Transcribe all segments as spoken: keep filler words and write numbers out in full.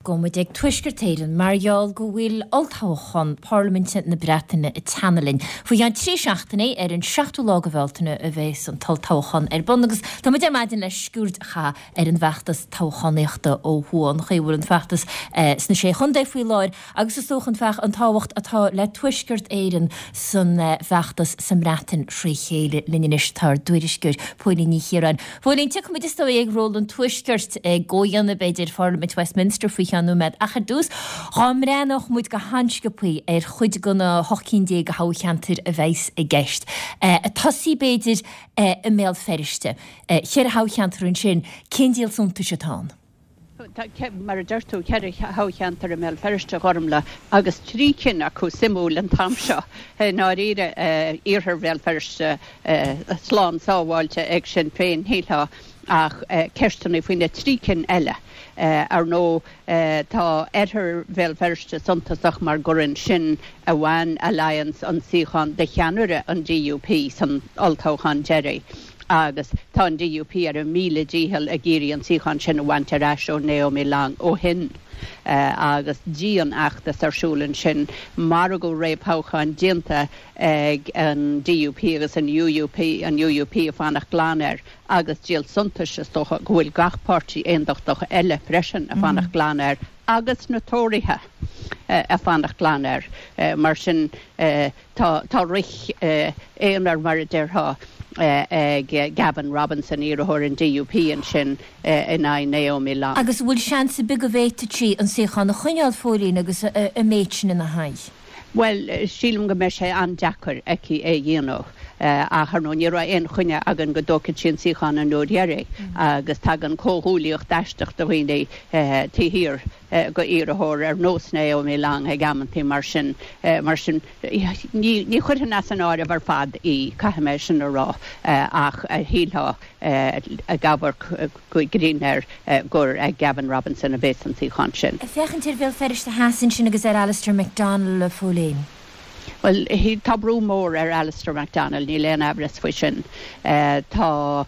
gabhfaidh muid ag Tuaisceart Éireann mar gheall go bhfuil olltoghchán Parlaiminte na Breataine ag teannadh linn. Faoi cheann trí seachtainí ar an seachtú lá de Bhealtaine a bheas an t-olltoghchán ar bun agus tá muid ar maidin le sciuird a chaitheamh ar an bhfeachtas toghchánaíochta ó thuaidh an chaoi a bhfuil an feachtas sna sé chontae faoi láthair agus is dócha an feach an tábhacht atá le Tuaisceart Éireann san bhfeachtas sa mBreatain trí chéile linn anois tá ár dtuairisceoir Póilín Ní Chiaráin. Póilín tiocfaidh muid is dóigh ag ról an Tuaiscirt ag gcomhdhéanamh b'fhéidir Pharlaimint Westminster faoi cheann nóiméad ach ar dtús dá mbreathnódh muid go han-sciobtha ar chuid de na hocht cinn déag de thoghcheantair a bheas i gceist. Ag tosaí b'fhéidir i mBéal Feirste. Ceithre thoghcheantar ansin, cén díol suntais atá ann? Mar a deir tú ceithre thoghcheantar i mBéal Feirste Ghormfhlaith agus trí cinn acu suimiúil an t-am seo i ndáiríre iarthar Bhéal Feirste slán sábháilte ag Sinn Féin shílfeá ach ceisteanna faoi na trí cinn eile. Ar ndóigh tá oirthear Bhéal Feirste suntasach mar gur ansin a bhain Alliance an suíochán de cheannaire an DUP san olltoghchán deiridh. Agus tá an DUP ar a míle dícheall ag iarraidh an suíochán sin a bhaint ar ais ó Naomi Long ó shin. Agus dianfheachtas ar siúl ansin, margadh réamhthoghcháin déanta ag an DUP agus an UUP, an UUP ag fanacht glan air, agus díol suntais is dócha go bhfuil gach páirtí aondachtach eile freisin ag fanacht glan air, agus na Tóraithe ag fanacht glan air. Mar sin tá tá rith aonair mar a déarfá ag Gavin Robinson, iarrthóir an DUP ansin in aghaidh Naomi Long. Agus an bhfuil seans ar bith go bhféadfadh sí an suíochán a choinneáil Phóilín agus an méid sin ina haghaidh? Bhuel, sílim go mbeidh sé an-deacair aici é a dhéanamh. Ach ar ndóigh ní raibh aon choinne againn go dtógfadh sí an suíochán an uair dheiridh agus tagann comhghuaillíocht aisteach de dhaoine taobh thiar de iarrthóir ar nós Naomi Long ag amantaí mar sin. Mar sin, ní ní chuirfinn as an áireamh ar fad í, caithfidh mé sin a rá, ach shílfeá ag amharc go grinn air gur ag Gavin Robinson a bheas an suíochán sin. Ag féachaint ar Bhéal Feirste Theas ansin agus ar Alistair McDonald, a Phóilín. Bhuel, tá brú mór ar Alistair McDonald, níl aon amhras faoi sin. Tá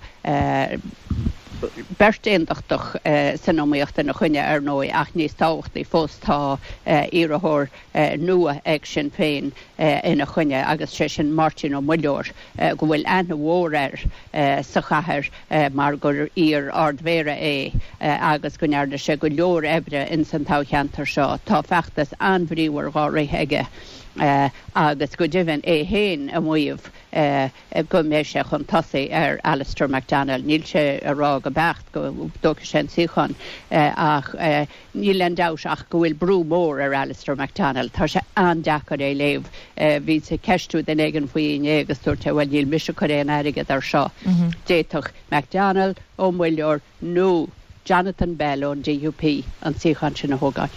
beirt aondachtach san iomaíocht ina choinne ar ndóigh ach níos tábhachtaí fós tá iarrthóir nua ag Sinn Féin ina choinne agus sé sin Máirtín Ó Muilleoir go bhfuil aithne mhór air sa chathair mar gur iar-ardmhéara é agus go ndearna sé go leor oibre ins an toghcheantar seo. Tá feachtas an-bhríomhar dhá rith aige agus go deimhin é féin ag maíomh go mbeidh sé chun tosaigh ar Alistair McDonald. Níl sé ag rá go beacht go dtógfaidh sé an suíochán ach níl aon dabht ach go bhfuil brú mór ar Alistair McDonald. Tá sé an-deacair é léamh. Bhíos ag ceistiú duine éigin faoi inné agus dúirt sé bhuel níl mise ag cur aon airgead ar seo. D'fhéadfadh McDonald, Ó Muilleoir nó Jonathan Bell ón DUP an suíochán sin a thógáil.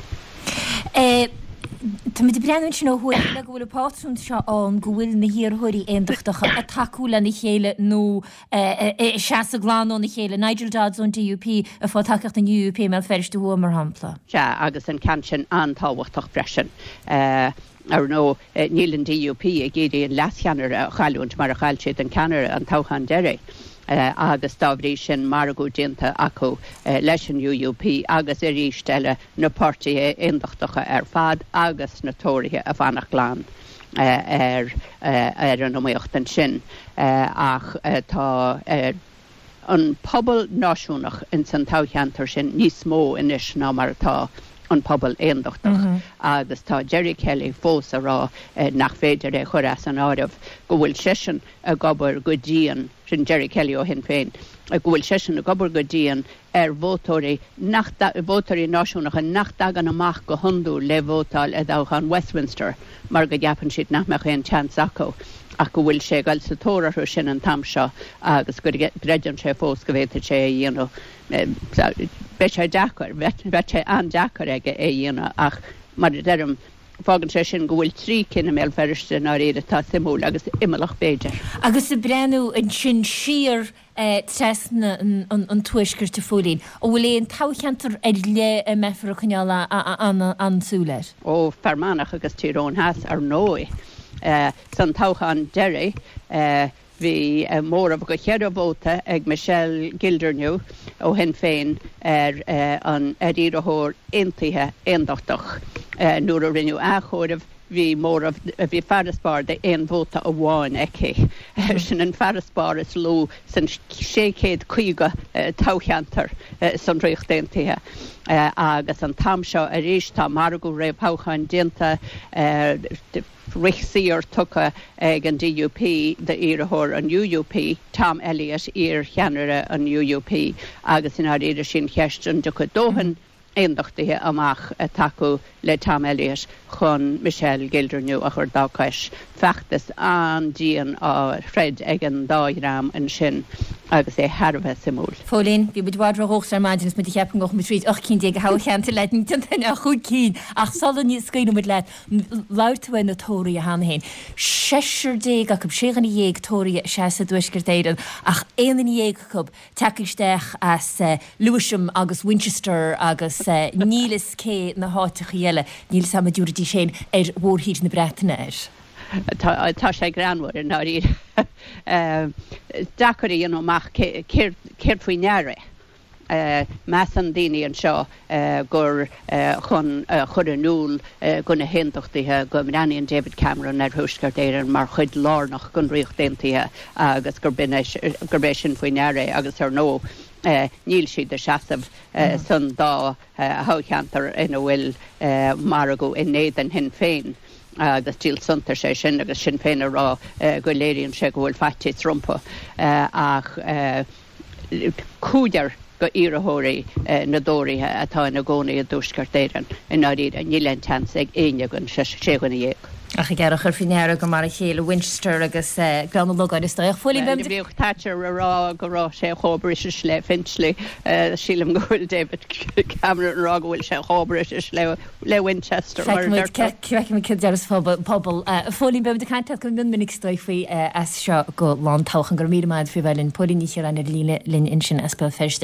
Táimid ag breathnú ansin ó thuaidh le go bhfuil an pátrún seo ann go bhfuil na hiarrthóirí aondachtacha ag tacú lena chéile nó ag seasamh glan óna chéile. Nigel Dodds ón DUP ag fáil tacaíocht an UUP i mBéal Feirste Thuaidh mar shampla. Sea, agus an ceann sin an-tábhachtach freisin. Ar ndóigh, níl an DUP ag iarraidh an leascheannaire a chailliúint mar a chaill siad an ceannaire an toghchán deiridh agus dá bhrí sin margadh déanta acu leis an UUP agus arís eile na páirtithe aondachtacha ar fad agus na Tóraithe ag fanacht glan ar ar an iomaíocht ansin. Ach tá an pobal náisiúnach ins an toghcheantar sin níos mó anois ná mar atá an pobal aondachtach agus tá Gerry Kelly fós ag rá nach féidir é chur as an áireamh, go bhfuil seisean ag obair go dian, sin Gerry Kelly ó Shinn Féin, go bhfuil seisean ag obair go dian ar vótóirí nach vótóirí náisiúnacha nach dtagann amach go hiondúil le vótáil i dtoghchán Westminster mar go gceapann siad nach mbeadh aon tseans acu ach go bhfuil sé ag dul sa tóir orthu sin an t-am seo agus go gcreideann sé fós go bhféadfadh sé é a dhéanamh. Beidh sé deacair, bheadh sé an-deacair aige é a dhéanamh ach mar a deirim, fágann sé sin go bhfuil trí cinn i mBéal Feirste i ndáiríre atá suimiúil agus imeallach b'fhéidir. Agus ag breathnú ansin siar trasna an tuaiscirt a Phóilín, an bhfuil aon toghcheantar ar leith a mbeifear ag coinneáil an-súil air? Ó, Fear Manach agus Tír Eoghain Theas ar ndóigh. San toghchán deiridh, bhí Bhí móramh de cheithre vóta ag Michelle Gildernew ó Shinn Féin ar an ar iarrthóir aontaithe aondachtach. Nuair a rinneadh athchomhaireamh bhí móramh bhí farasbarr de aon vóta amháin aici. Sin an farasbarr is lú san sé chéad caoga toghcheantar san Ríocht Aontaithe. Agus an t-am seo arís tá margadh réamhthoghcháin déanta, rith saor tugtha ag an DUP d'iarrthóir an UUP, Tom Elliott, iar-cheannaire an UUP, agus i ndáiríre sin cheist an dtiocfaidh dóthain aondachtaithe amach ag tacú le Tom Elliott chun Michelle Gildernew a chur dá cois. Feachtas an-dian á throid ag an dá dhream ansin agus é thar a bheith suimiúil. Phóilín, bhí muid i bhfad ródhóchasach ar maidin is muid ag ceapadh go ngabhfadh muid tríd ocht cinn déag de thoghcheantair leat, ní déanfainn ach chúig cinn ach sula scaoilfidh muid leat, labhair tú ar na Tóraithe cheana féin. Seisear déag acu, sé dhuine dhéag Tóraithe ag seasamh i dTuaisceart Éireann ach aon duine dhéag acu tagtha isteach as Lewisham agus Winchester agus níl fhios cé na háiteachaí eile, níl fhios a'm an dtabharfaidís féin ar mhórthír na Breataine air. Tá sé greannmhar i ndáiríre. Deacair a dhéanamh amach céard faoi ndeara é. Measann daoine anseo gur chun a chur in iúl do na hAontachtaithe go mbreathnaíonn David Cameron ar Thuaisceart Éireann mar chuid lárnach den Ríocht Aontaithe agus gurb é sin faoi ndeara é agus ar ndóigh níl siad ag seasamh san dá thoghcheantar ina bhfuil margadh in éadan Shinn Féin agus díol suntais é sin agus Sinn Féin ag rá go léiríonn sé go bhfuil faitíos rompu ach cúigear d'iarrthóirí na dTóraithe atá ina gcónaí i dTuaisceart Éireann, i ndáiríre, níl aon tseans ag éinne den sé dhuine dhéag. Ach ag amharc ar faoi ndeara gur mar a chéile Winchester agus Gleann an Logáin is dóigh. Phóilín, beimid. Bhíodh Thatcher ag rá go raibh sé chomh British le Finchley. Sílim go bhfuil David Cameron ag rá go bhfuil sé chomh British le le Winchester mar a deirtear. Feicfimid céard a deir an pobal. Phóilín, beimid ag caint leat go mion minic is dóigh faoi as seo go lá an toghcháin. Go raibh míle maith agat faoi bheith linn. Póilín Ní Chiaráin ar líne linn ansin as Béal Feirste.